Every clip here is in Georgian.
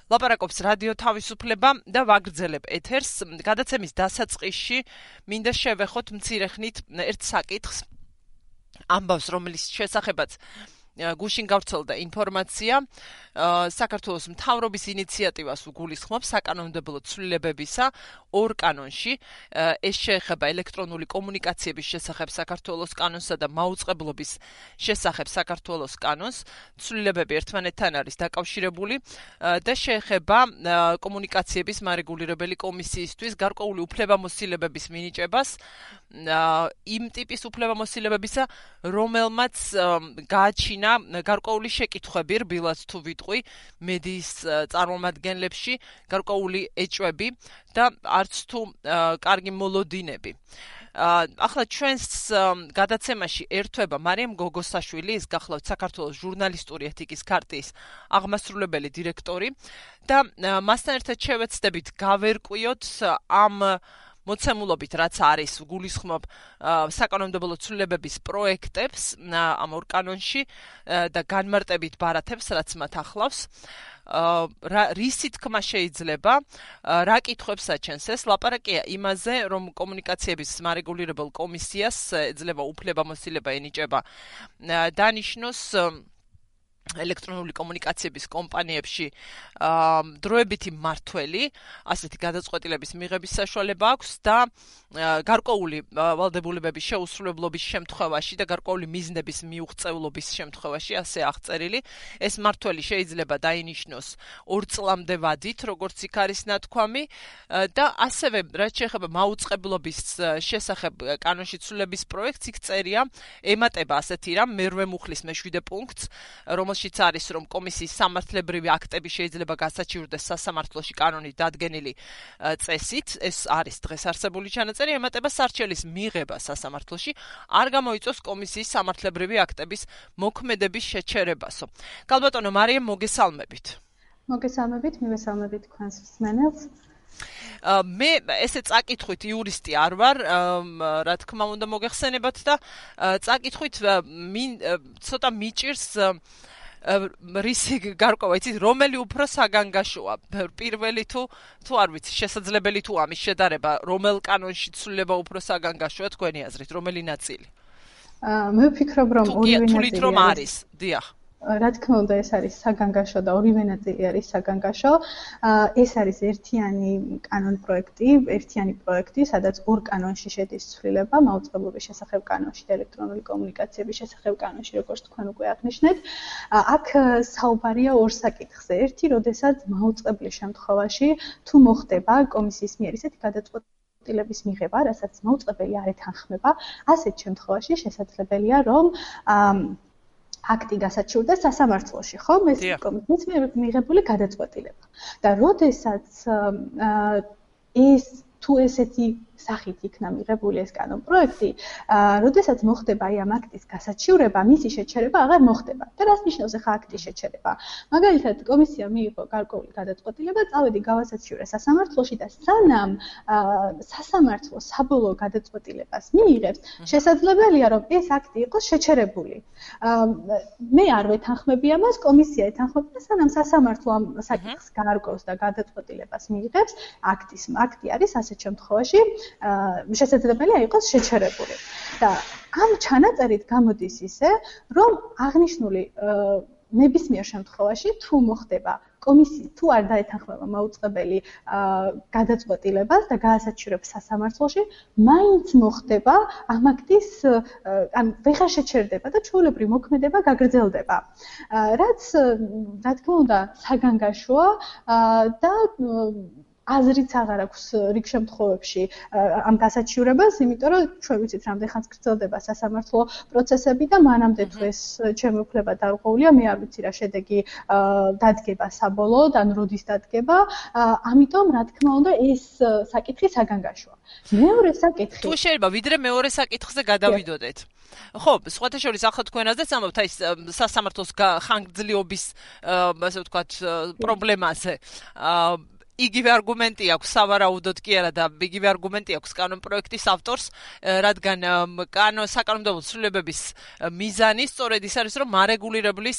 ლაპარაკობს რადიო თავისუფლება და ვაგრძელებ ეთერს. გადაცემის დასაწყისში მინდა შევეხოთ მცირე ხნით ერთ საკითხს, ამბავს, რომელიც შესახებაც გუშინ გავრცელდა ინფორმაცია. საქართველოს მთავრობის ინიციატივას უგულისხმობს საკანონმდებლო ცვლილებებისა ორ კანონში. ეს შეეხება ელექტრონული კომუნიკაციების შესახებ საქართველოს კანონსა და მაუწყებლობის შესახებ საქართველოს კანონს. ცვლილებები ერთმანეთთან არის დაკავშირებული და შეეხება კომუნიკაციების მარეგულირებელი კომისიისთვის გარკვეული უფლებამოსილებების მინიჭებას, იმ ტიპის უფლებამოსილებებისა, რომელმაც გააჩინა გარკვეული შეკითხვები, რბილად თუ ვიტყვი, მედიის წარმომადგენლებში, გარკვეული ეჭვები და არც თუ კარგი მოლოდინები. ახლა ჩვენს გადაცემაში ერთვება მარიამ გოგოსაშვილი, ის გახლავთ საქართველოს ჟურნალისტური ეთიკის ქარტიის აღმასრულებელი დირექტორი და მასთან ერთად შევეცდებით გავერკვიოთ ამ მოცემულობით, რაც არის, გულისხმობ საკანონმდებლო ცვლილებების პროექტებს ამ ორ კანონში და განმარტებით ბარათებს, რაც მათ ახლავს. რისი თქმა შეიძლება, რა კითხვებს აჩენს ეს? ლაპარაკია იმაზე, რომ კომუნიკაციების მარეგულირებელ კომისიას ეძლევა უფლებამოსილება ენიჭება დანიშნოს ელექტრონული კომუნიკაციების კომპანიებში დროებითი მმართველი, ასეთი გადაწყვეტილების მიღების საშუალება აქვს და გარკვეული ვალდებულებების შეუსრულებლობის შემთხვევაში და გარკვეული მიზნების მიუღწევლობის შემთხვევაში, ასე აღწერილი, ეს მმართველი შეიძლება დაინიშნოს 2 წლამდე ვადით, როგორც იქ არის ნათქვამი და ასევე რაც შეეხება მაუწყებლობის შესახებ კანონში ცვლილების პროექტს, იქ წერია, ემატება ასეთი რამ, მერვე მუხლის მე-7 პუნქტს, რომელშიც არის, რომ კომისიის სამართლებრივი აქტები შეიძლება გასაჩივრდეს სასამართლოში კანონით დადგენილი წესით, ეს არის დღეს არსებული ჩანაწერი, ემატება სარჩელის მიღება სასამართლოში, არ გამოიწვევს კომისიის სამართლებრივი აქტების მოქმედების შეჩერებასო. გალბატონო მარიამ, მოგესალმებით. მოგესალმებით, მივესალმებით თქვენს მსმენელს. მე ესე წაკითხვით იურისტი არ ვარ, რა თქმა უნდა მოგეხსენებათ და წაკითხვით ცოტა მიჭირს რისი გარკვევა, იცით, რომელი უფრო საგანგაშოა, პირველი თუ არ ვიცი, შესაძლებელი თუ ამის შედარება, რომელ კანონში ცვლილება უფრო საგანგაშოა თქვენი აზრით, რომელი ნაწილი? მე ვფიქრობ, რომ ორივე ნაწილი რომ არის, დიახ. რა თქმა უნდა, ეს არის საგანგაშო და ორივე ნაწილი არის საგანგაშო. ეს არის ერთიანი პროექტი, სადაც ორ კანონში შედის ცვლილება, მაუწყებლობის შესახებ კანონში და ელექტრონული კომუნიკაციების შესახებ კანონში, როგორც თქვენ უკვე აღნიშნეთ. აქ საუბარია ორ საკითხზე. ერთი, როდესაც მაუწყებლის შემთხვევაში თუ მოხდება კომისიის მიერ ისეთი გადაწყვეტილების მიღება, რასაც მაუწყებელი არ ეთანხმება, ასეთ შემთხვევაში შესაძლებელია, რომ აქტი გასაჩივრდეს სასამართლოში, ხო? ეს კომისიის მიერ მიღებული გადაწყვეტილება. და როდესაც თუ ესეთი სახით იქნა მიღებული ეს კანონპროექტი, როდესაც მოხდება აი ამ აქტის გასაჩივრება, მისი შეჩერება აღარ მოხდება. და რას ნიშნავს ახლა აქტის შეჩერება? მაგალითად, კომისია მიიღო გარკვეული გადაწყვეტილება, წავედი გავასაჩივრე სასამართლოში და სანამ სასამართლო საბოლოო გადაწყვეტილებას მიიღებს, შესაძლებელია, რომ ეს აქტი იყოს შეჩერებული. მე არ ვეთანხმები ამას, კომისია ეთანხმება, სანამ სასამართლო ამ საკითხს გაარკვევს და გადაწყვეტილებას მიიღებს, აქტი არის ასეთ შემთხვევაში შესაძლებელია იყოს შეჩერებული. და ამ ჩანაწერით გამოდის ისე, რომ აღნიშნული ნებისმიერ შემთხვევაში თუ მოხდება კომისია თუ არ დაეთანხმება მაუწყებელი გადაწყვეტილებას და გაასაჩივრებს სასამართლოში, მაინც მოხდება ამ აქტის ვეღარ შეჩერდება და ჩვეულებრივ მოქმედება გაგრძელდება. რაც რა თქმა უნდა საგანგაშოა და აზრიც აღარ აქვს რიგ შემთხვევებში ამ გასაჩივრებას, იმიტომ რომ ჩვენ ვიცით, რამდენ ხანს გრძელდება სასამართლო პროცესები და მანამდე თუ ეს ჩემი უფლება დარღვეულია, მე არ ვიცი რა შედეგი დადგება საბოლოოდ, ან როდის დადგება, ამიტომ რა თქმა უნდა ეს საკითხი საგანგაშოა. მეორე საკითხი. თუ შეიძლება ვიდრე მეორე საკითხზე გადავიდოდეთ. ხო, სხვათა შორის ახლა თქვენ აზრს ამბობთ აი სასამართლოს ხანგრძლივობის, ასე ვთქვათ, პრობლემაზე. იგივე არგუმენტი აქვს სავარაუდოდ კი არა და იგივე არგუმენტი აქვს კანონპროექტის ავტორს, რადგან საკანონმდებლო ცვლილებების მიზანი სწორედ ის არის, რომ მარეგულირებლის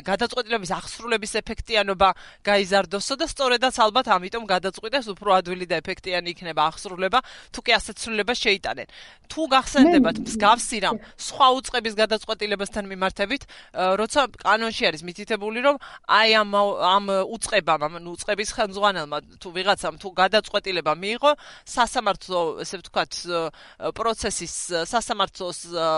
გადაწყვეტილების აღსრულების ეფექტიანობა გაიზარდოსო და სწორედაც ალბათ ამიტომ გადაწყვიტეს უფრო ადვილი და ეფექტიანი იქნება აღსრულება, თუ კი ასეთ ცვლილებას შეიტანენ. თუ გახსენდებათ მსგავსი რამ სხვა უწყების გადაწყვეტილებასთან მიმართებით, როცა კანონში არის მითითებული, რომ აი ამ უწყებამ, უწყების ხელმძღვანელმა თუ ვიღაცამ თუ გადაწყვეტილება მიიღო, სასამართლო, ესე ვთქვათ,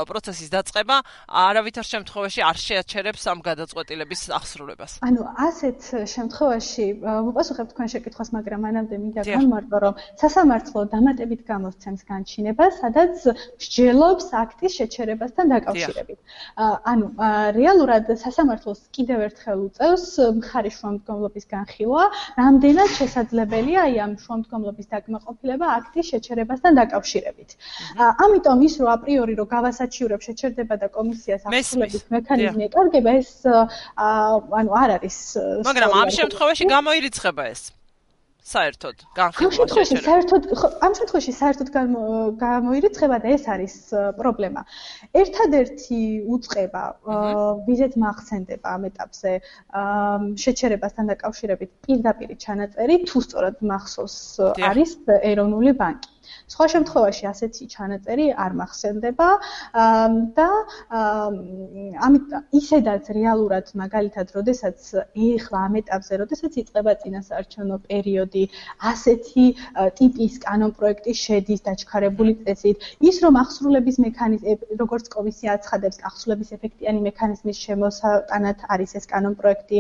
პროცესის დაწყება არავითარ შემთხვევაში არ შეაჩერებს ამ გადაწყვეტილების აღსრულებას. ანუ ასეთ შემთხვევაში მოპასუხებ თქვენ შეკითხვას, მაგრამ მანამდე მინდა გამმარტო, რომ სასამართლო დამატებით გამოსცემს განჩინებას, სადაც მსჯელობს აქტის შეჩერებასთან დაკავშირებით. ანუ რეალურად სასამართლოს კიდევ ერთხელ უწევს მხარის შუამდგომლობის განხილვა, რამდენად შესაძლებელია აი ამ შუამდგომლობის დაკმაყოფილება აქტის შეჩერებასთან დაკავშირებით. ამიტომ ის რომ აპრიორი რომ გავასაჩივრებ შეჩერდება და კომისიას აღსრულების მექანიზმი ეკარგება, ეს ანუ არ არის. მაგრამ ამ შემთხვევაში გამოირიცხება ეს. საერთოდ განხილვა შეჩერება. ამ შემთხვევაში საერთოდ გამოირიცხება და ეს არის პრობლემა. ერთადერთი უწყება, ვიზეთ მახსენდება ამ ეტაპზე შეჩერებასთან დაკავშირებით პირდაპირ ჩანაწერი, თუ სწორად მახსოვს, არის ეროვნული ბანკი. სხვა შემთხვევაში ასეთი ჩანაწერი არ მახსენდება და ამიტომ ისედაც რეალურად მაგალითად, როდესაც ეხლა ამ ეტაპზე, როდესაც იწყება წინასაარჩევნო პერიოდი, ასეთი ტიპის კანონპროექტი შედის დაჩქარებული წესით, ის რომ აღსრულების მექანიზმი, როგორც კომისია აცხადებს, აღსრულების ეფექტიანი მექანიზმის შემოსატანად არის ეს კანონპროექტი,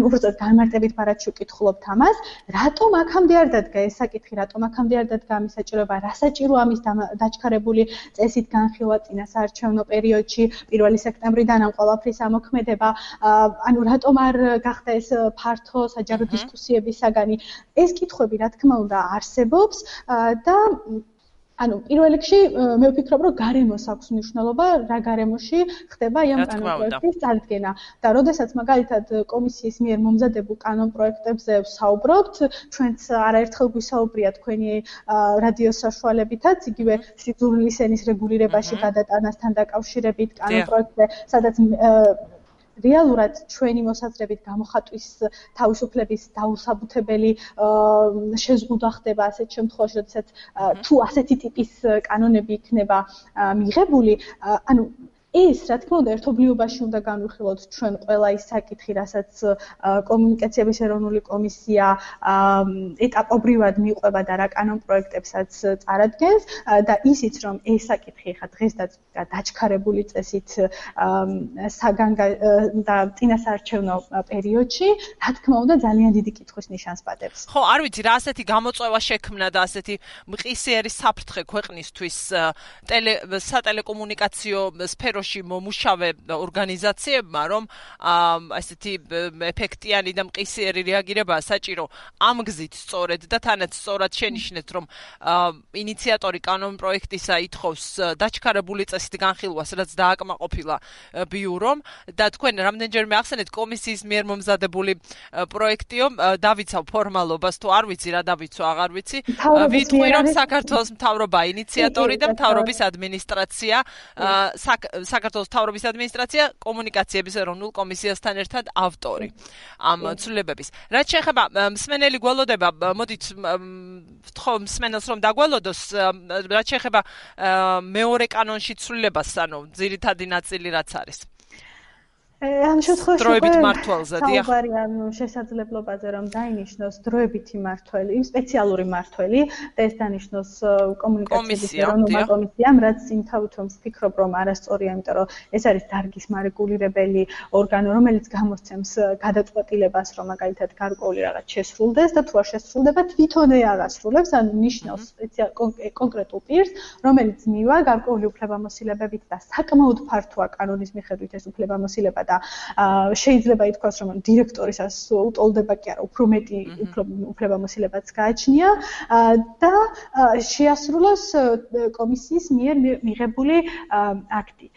უბრალოდ განმარტებით მარადში ვკითხულობთ ამას, რატომ აქამდე არ დადგა ეს საკითხი, რატომ აქამდე არ დადგა ამის საჭიროება, რა საჭირო ამის დაჩქარებული წესით განხილვა წინასაარჩევნო პერიოდში 1 სექტემბრიდან ამ ყველაფრის ამოქმედება, ანუ რატომ არ გახდა ეს ფართო საჯარო დისკუსიების საგანი. ეს კითხვები, რა თქმა უნდა, არსებობს და ანუ პირველ რიგში მე ვფიქრობ, რომ გარემოს აქვს მნიშვნელობა, რა გარემოში ხდება ამ კანონპროექტის წარდგენა. და როდესაც მაგალითად კომისიის მიერ მომზადებულ კანონპროექტებზე ვსაუბრობთ, ჩვენც არაერთხელ გვისაუბრია თქვენი რადიოს საშუალებითაც, იგივე სიძულვილის ენის რეგულირებაში გადატანასთან დაკავშირებით კანონპროექტზე, სადაც რეალურად ჩვენი მოსაზრებით გამოხატვის თავისუფლების დაუსაბუთებელი შეზღუდვა ხდება ასეთ შემთხვევაში, როდესაც თუ ასეთი ტიპის კანონები იქნება მიღებული, ანუ ეს, რა თქმა უნდა, ერთობლიობაში უნდა განვიხილოთ ჩვენ ყველა ის საკითხი, რასაც კომუნიკაციების ეროვნული კომისია ეტაპობრივად მიყვება და რა კანონპროექტებსაც წარადგენს და ისიც, რომ ეს საკითხი ხა დღესდაც დაჩქარებული წესით და წინასაარჩევნო პერიოდში, რა თქმა უნდა, ძალიან დიდი კითხვის ნიშანს პატევს. ხო, არ ვიცი, რა ასეთი გამოწვევა შექმნა და ასეთი მყისიერი საფრთხე ქვეყნისთვის სატელეკომუნიკაციო სფეროში მომუშავე ორგანიზაციებმა, რომ ასეთი ეფექტიანი და მყისიერი რეაგირება საჭირო ამ გზით სწორედ და თანაც სწორად შენიშნეთ, რომ ინიციატორი კანონპროექტისა ითხოვს დაჩქარებული წესით განხილვას, რაც დააკმაყოფილა ბიურომ და თქვენ რამდენჯერმე ახსენეთ კომისიის მიერ მომზადებული პროექტიო, დავიცავ ფორმალობას, თუ არ ვიცი რა დავიცვა, აღარ ვიცი. ვიტყვი, რომ საქართველოს მთავრობა ინიციატორი და მთავრობის ადმინისტრაცია საქართველოს მთავრობის ადმინისტრაცია კომუნიკაციების ეროვნულ კომისიასთან ერთად ავტორი ამ ცვლილებების. რაც შეეხება მსმენელი გველოდება, მოდით ვთხოვ მსმენელს რომ დაგველოდოს, რაც შეეხება მეორე კანონში ცვლილებას, ანუ ძირითადი ნაწილი რაც არის. ამ შემთხვევაში დროებით მართვალზე, დიახ. საუბარი ანუ შესაძლებლობაზე, რომ დაინიშნოს დროებითი მართველი, სპეციალური მართველი და ეს დანიშნოს კომუნიკაციების ეროვნულმა კომისიამ, რაც იმთავით რომ ვფიქრობ, რომ არასწორია, იმიტომ რომ ეს არის დარგის მარეგულირებელი ორგანო, რომელიც გამოსცემს გადაწყვეტილებას, რომ მაგალითად გარკვეული რაღაც შესრულდეს და თუ არ შესრულდება, თვითონე აღასრულებს, ანუ ნიშნავს კონკრეტულ პირს, რომელიც მივა გარკვეული უფლებამოსილებებით და საკმაოდ ფართოა კანონის მიხედვით ეს უფლებამოსილება და შეიძლება ითქვას, რომ დირექტორისას უტოლდება კი არა, უფრო მეტი უფლებამოსილებაც გააჩნია და შეასრულოს კომისიის მიერ მიღებული აქტი.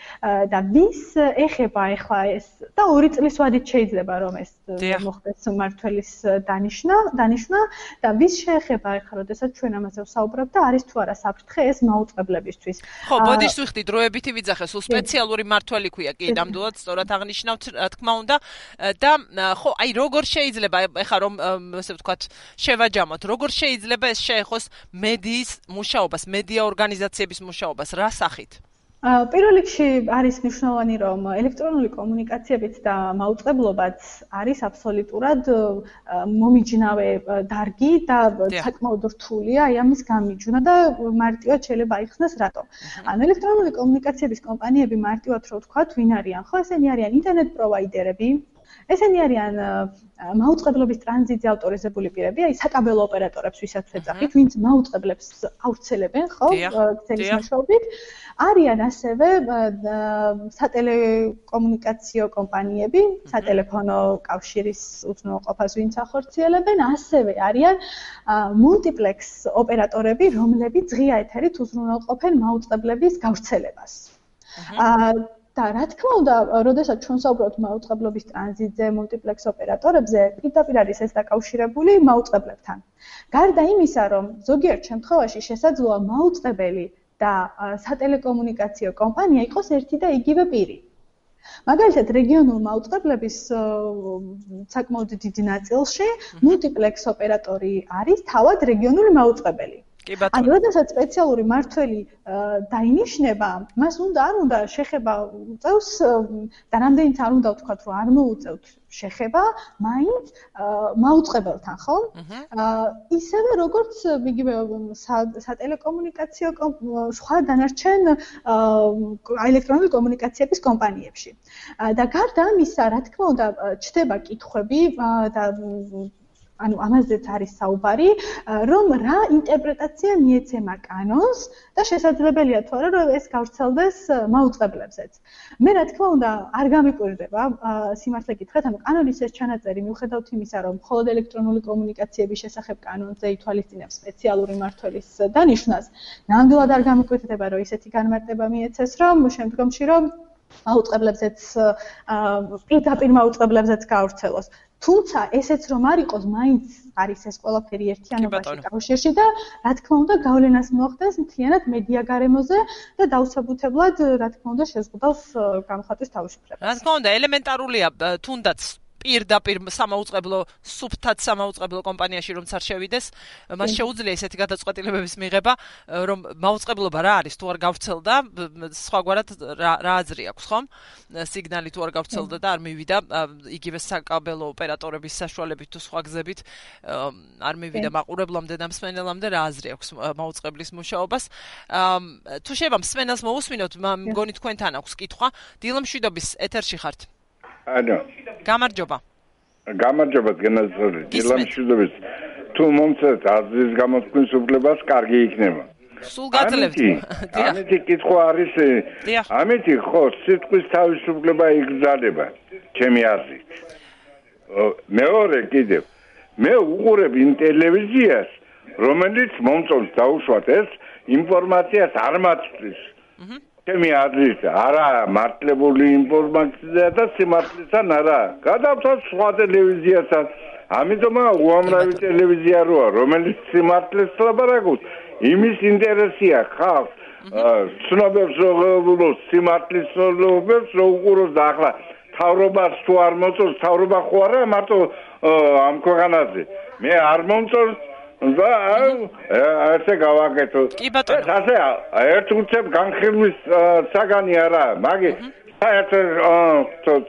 და ვის ეხება ახლა ეს და 2 წლის ვადით შეიძლება რომ ეს მოხდეს მმართველის დანიშვნა და ვის შეეხება ახლა, როდესაც ჩვენ ამაზე ვსაუბრობთ და არის თუ არა საფრთხე ეს მაუწყებლებისთვის. ხო, ბოდიშ ვიხდი დროებითი ვიძახე, სულ სპეციალური მმართველი ქვია, კი, ნამდვილად სწორად აღნიშნავთ, რა თქმა უნდა და ხო, აი როგორ შეიძლება ახლა რომ ასე ვთქვათ, შევაჯამოთ, როგორ შეიძლება ეს შეეხოს მედიის მუშაობას, მედია ორგანიზაციების მუშაობას, რა სახით? პირველ რიგში არის მნიშვნელოვანი, რომ ელექტრონული კომუნიკაციებიც და მაუწყებლობაც არის აბსოლუტურად მომიჯნავე დარგი და საკმაოდ რთულია აი ამის გამიჯვნა და მარტივად შეიძლება აიხსნას რატომ. ანუ ელექტრონული კომუნიკაციების კომპანიები მარტივად რო ვთქვათ, ვინ არიან? ხო, ესენი არიან ინტერნეტ პროვაიდერები, ესენი არიან მაუწყებლობის ტრანზიტზე ავტორიზებული პირები, აი საკაბელო ოპერატორებს ვისაც ეძახით, ვინც მაუწყებლებს ავრცელებენ, ხო, ქსელის მეშვეობით. არიან ასევე სატელეკომუნიკაციო კომპანიები, სატელეფონო კავშირის უზრუნველყოფას ვინც ახორციელებენ, ასევე არიან მულტიპლექს ოპერატორები, რომლებიც ღია ეთერით უზრუნველყოფენ მაუწყებლების გავრცელებას. და რა თქმა უნდა, როდესაც ჩვენ საუბრობთ მაუწყებლობის ტრანზიტზე, მულტიპლექს ოპერატორებზე, პირდაპირ არის ეს დაკავშირებული მაუწყებლებთან. გარდა იმისა, რომ ზოგიერთ შემთხვევაში შესაძლოა მაუწყებელი და სატელეკომუნიკაციო კომპანია იყოს ერთი და იგივე პირი. მაგალითად, რეგიონულ მაუწყებლების საკმაოდ დიდი ნაწილში მულტიპლექს ოპერატორი არის თავად რეგიონული მაუწყებელი. ანუ როდესაც სპეციალური მმართველი დაინიშნება, მას უნდა არ უნდა შეხება უწევს და რამდენიც არ უნდა ვთქვათ, რომ არ მოუწევთ შეხება, მაინც მაუწყებელთან, ხო? ისევე როგორც იგივე სატელეკომუნიკაციო სხვა დანარჩენ ელექტრონული კომუნიკაციების კომპანიებში. და გარდა ამისა, რა თქმა უნდა, ჩდება კითხვები და ანუ ამაზეც არის საუბარი, რომ რა ინტერპრეტაცია მიეცემა კანონს და შესაძლებელია თუ არა რომ ეს გავრცელდეს მაუწყებლებზეც. მე რა თქმა უნდა არ გამიკვირდება სიმართლე გითხრათ, ანუ კანონის ეს ჩანაწერი მიუხედავთ იმისა, რომ მხოლოდ ელექტრონული კომუნიკაციების შესახებ კანონზე ითვალისწინებს სპეციალური მმართველის დანიშვნას, ნამდვილად არ გამიკვირდება, რომ ისეთი განმარტება მიეცეს, რომ შემდგომში რომ მაუწყებლებზეც პირდაპირ მაუწყებლებზეც გავრცელოს. თუმცა ესეც რომ არ იყოს, მაინც არის ეს ყველაფერი ერთიანობაში კავშირში და რა თქმა უნდა გავლენას მოახდენს მთლიანად მედია გარემოზე და დაუსაბუთებლად რა თქმა უნდა შეზღუდავს გამოხატვის თავისუფლებას. რა თქმა უნდა ელემენტარულია თუნდაც პირდაპირ სამაუწყებლო სუფთად სამაუწყებლო კომპანიაში რომც არ შევიდეს, მას შეუძლია ესეთი გადაწყვეტილებების მიღება, რომ მაუწყებლობა რა არის, თუ არ გავრცელდა, სხვაგვარად რა აზრი აქვს, ხომ? სიგნალი თუ არ გავრცელდა და არ მივიდა იგივე საკაბელო ოპერატორების საშუალებით თუ სხვა გზებით არ მივიდა მაყურებლამდე და მსმენელამდე რა აზრი აქვს მაუწყებლის მუშაობას. თუ შეიძლება მსმენელს მოусმინოთ, მგონი თქვენთან აქვს კითხვა. დილა მშვიდობის ეთერში ხართ. ანუ გამარჯობა. გამარჯობა გენაზარი. დილა მშვიდობის. თუ მომწევთ აზრის გამოთქმის უფლებას, კარგი იქნება. სულ გაძლევთ. ამეთი კითხვა არის. ამეთი ხო, სიტყვის თავისუფლება იგრძელება, ჩემი აზრით. მეორე კიდევ. მე უყურებ ტელევიზიას, რომელიც მომწონს დაუშვათ ეს ინფორმაციას არ მაწვდის. ჩემი აზრით, არა მართლებული ინფორმაცია და სიმართლეთან არა. გადავთვალ სხვა ტელევიზიასაც. ამიტომა უამრავი ტელევიზია როა, რომელიც სიმართლეს ლაპარაკობს. იმის ინტერესია ხალხს, ცნობებს როგორ სიმართლის ცნობებს რო უყუროს და ახლა თავრობას თუ არ მოწონს, თავრობა ხო არა მარტო ამ ქვეყანაზე. მე არ მომწონს და ასე გავაკეთო. ასე ერთ უცებ განხილვის საგანი არა, მაგის საერთოდ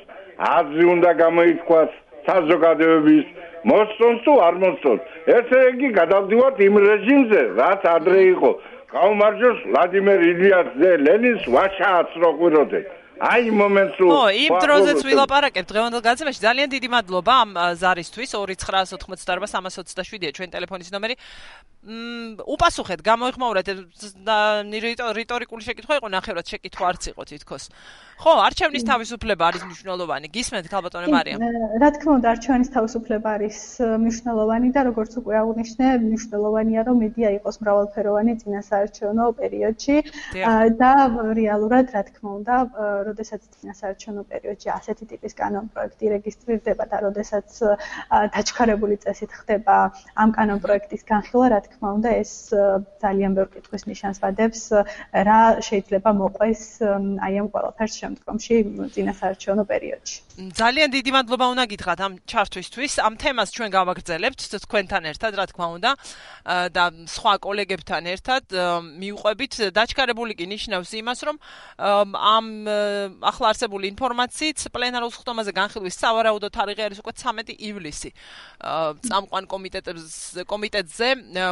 აზრი უნდა გამოითქვას საზოგადოების მოსწონს თუ არ მოსწონს. ესე იგი გადავდივართ იმ რეჟიმზე, რაც ადრე იყო. გაუმარჯოს ვლადიმერ ილიას ლენინს ვაშააც რო ყვიროდეთ. აი მომენტს იმ დროზეც ვილაპარაკებ დღევანდელ გაცემაში. ძალიან დიდი მადლობა ამ ზარისთვის 2988327-ია ჩვენ ტელეფონის ნომერი. უპასუხეთ, გამოიხმაურეთ რიტორიკული შეკითხვა იყო, ნახევრად შეკითხვა არც იყო თითქოს. ხო, არჩევნის თავისუფლება არის მნიშვნელოვანი. გისმენთ ქალბატონე მარიამ? რა თქმა უნდა, არჩევნის თავისუფლება არის მნიშვნელოვანი და როგორც უკვე აღნიშნე, მნიშვნელოვანია რომ მედია იყოს მრავალფეროვანი წინასაარჩევნო პერიოდში და რეალურად რა თქმა უნდა, როდესაც წინასაარჩევნო პერიოდში ასეთი ტიპის კანონპროექტი რეგისტრირდება და როდესაც დაჩქარებული წესით ხდება ამ კანონპროექტის განხილვა, რა თქმა უნდა, ეს ძალიან ბევრ კითხვის ნიშანს ვადებს, რა შეიძლება მოყვეს აი ამ ყველაფერს შემდგომში წინასაარჩევნო პერიოდში. ძალიან დიდი მადლობა უნდა გითხრათ ამ ჩართვისთვის. ამ თემას ჩვენ გავაგრძელებთ თქვენთან ერთად, რა თქმა უნდა, და სხვა კოლეგებთან ერთად მიუყვებით. დაჩქარებული კი ნიშნავს იმას, რომ ამ ახლა არსებული ინფორმაციით პლენარულ სხდომაზე განხილვის სავარაუდო თარიღი არის უკვე 13 ივლისი. წამყვან კომიტეტზე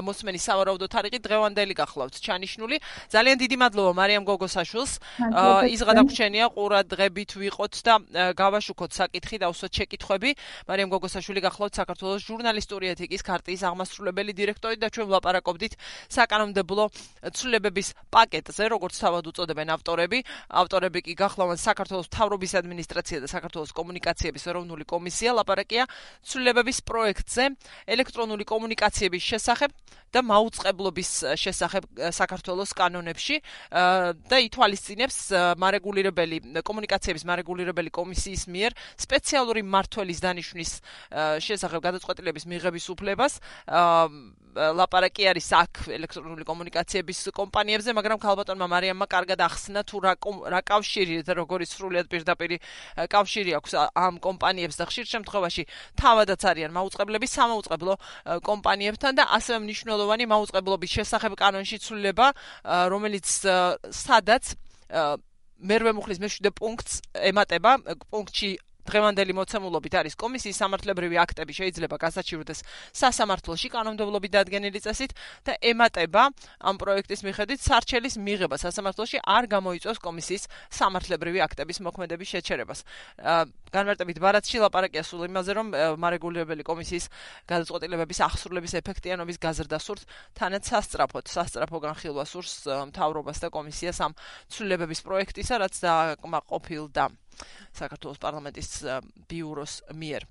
მოსმენის სავარაუდო თარიღი დღევანდელი გახლავთ ჩანიშნული. ძალიან დიდი მადლობა მარიამ გოგოსაშვილს. ის გადაგვრჩენია ყურადღებით ვიყოთ და გავაშუქოთ საკითხი და უსვათ შეკითხვები. მარიამ გოგოსაშვილი გახლავთ საქართველოს ჟურნალისტური ეთიკის ქარტიის აღმასრულებელი დირექტორი და ჩვენ ვლაპარაკობდით საკანონმდებლო ცვლილებების პაკეტზე, როგორც თავად უწოდებენ ავტორები. ავტორები კი გახლავთ საქართველოს მთავრობის ადმინისტრაცია და საქართველოს კომუნიკაციების ეროვნული კომისია. ლაპარაკია ცვლილებების პროექტზე, ელექტრონული კომუნიკაციების შესახებ და მაუწყებლობის შესახებ საქართველოს კანონებში და ითვალისწინებს კომუნიკაციების მარეგულირებელი კომისიის მიერ სპეციალური მმართველის დანიშვნის შესახებ გადაწყვეტილების მიღების უფლებას. ლაპარაკი არის აქ ელექტრონული კომუნიკაციების კომპანიებზე, მაგრამ ქალბატონმა მარიამმა კარგად ახსნა თუ რა კავშირი და როგორი სრულიად პირდაპირი კავშირი აქვს ამ კომპანიებს და ხშირ შემთხვევაში თავადაც არიან მაუწყებლები სამაუწყებლო კომპანიებთან და ასევე მნიშვნელოვანი მაუწყებლობის შესახებ კანონში ცვლილება, რომელიც სადაც მერვე მუხლის მე-7 პუნქტს ემატება. პუნქტში დღევანდელი მოცემულობით არის კომისიის სამართლებრივი აქტები შეიძლება გასაჩივრდეს სასამართლოში კანონმდებლობით დადგენილი წესით და ემატება ამ პროექტის მიხედვით სარჩელის მიღება სასამართლოში არ გამოიწვევს კომისიის სამართლებრივი აქტების მოქმედების შეჩერებას. განმარტებით ბარათში ლაპარაკია სულ იმაზე, რომ მარეგულირებელი კომისიის გადაწყვეტილებების ახსრულების ეფექტიანობის გაზრდა სურთ, თანაც სასწრაფო განხილვა სურს მთავრობას და კომისიას ამ ცვლილებების პროექტისა, რაც დააკმაყოფილდა საქართველოს პარლამენტის ბიუროს მიერ.